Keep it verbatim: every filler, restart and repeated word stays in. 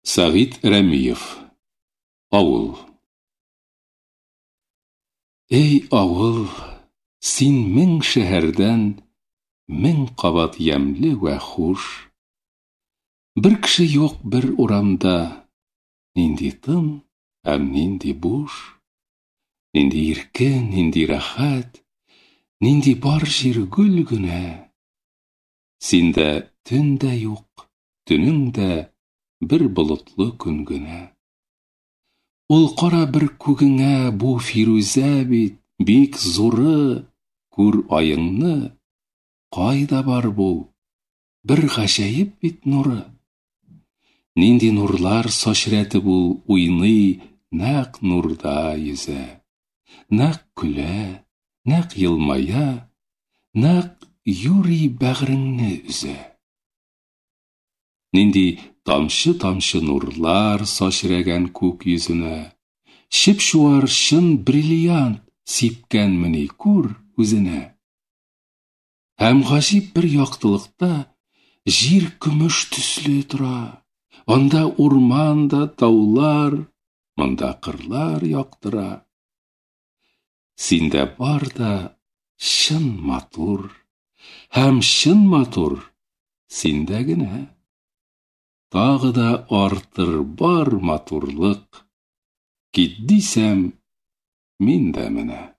Сәгыйть Рәмиев. Авыл. Эй, авыл, син мең шәһәрдән мең кабат ямьле вә хуш. Бер кеше юк бер урамда, нинди тын һәм нинди буш. Нинди иркен, нинди рәхәт, нинди бар җир гөл генә. Синдә төн дә юк, төнең дә бер болытлы көн генә. Ул кара бер күгеңә, бу фирүзә бит, бик зуры, күр аеңны, кайда бар бу? Бер гаҗәеп бит нуры. Нинди нурлар сачрәтеп ул уйный, нәкъ нурда йөзә. Нәкъ көлә, нәкъ елмая, нәкъ юри бәгыреңне өзә. Нинди тамчы-тамчы нурлар сачрәгән күк йөзенә. Чып-чуар чын бриллиант сипкәнмени күр үзенә. Һәм гаҗиб бер яктылыкта җир көмеш төсле тора. Анда урман да таулар, монда кырлар яктыра. Синдә бар да чын матур, һәм чын матур синдә генә. Тагы да артыр бар матурлык. Кит дисәм, мин дә менә.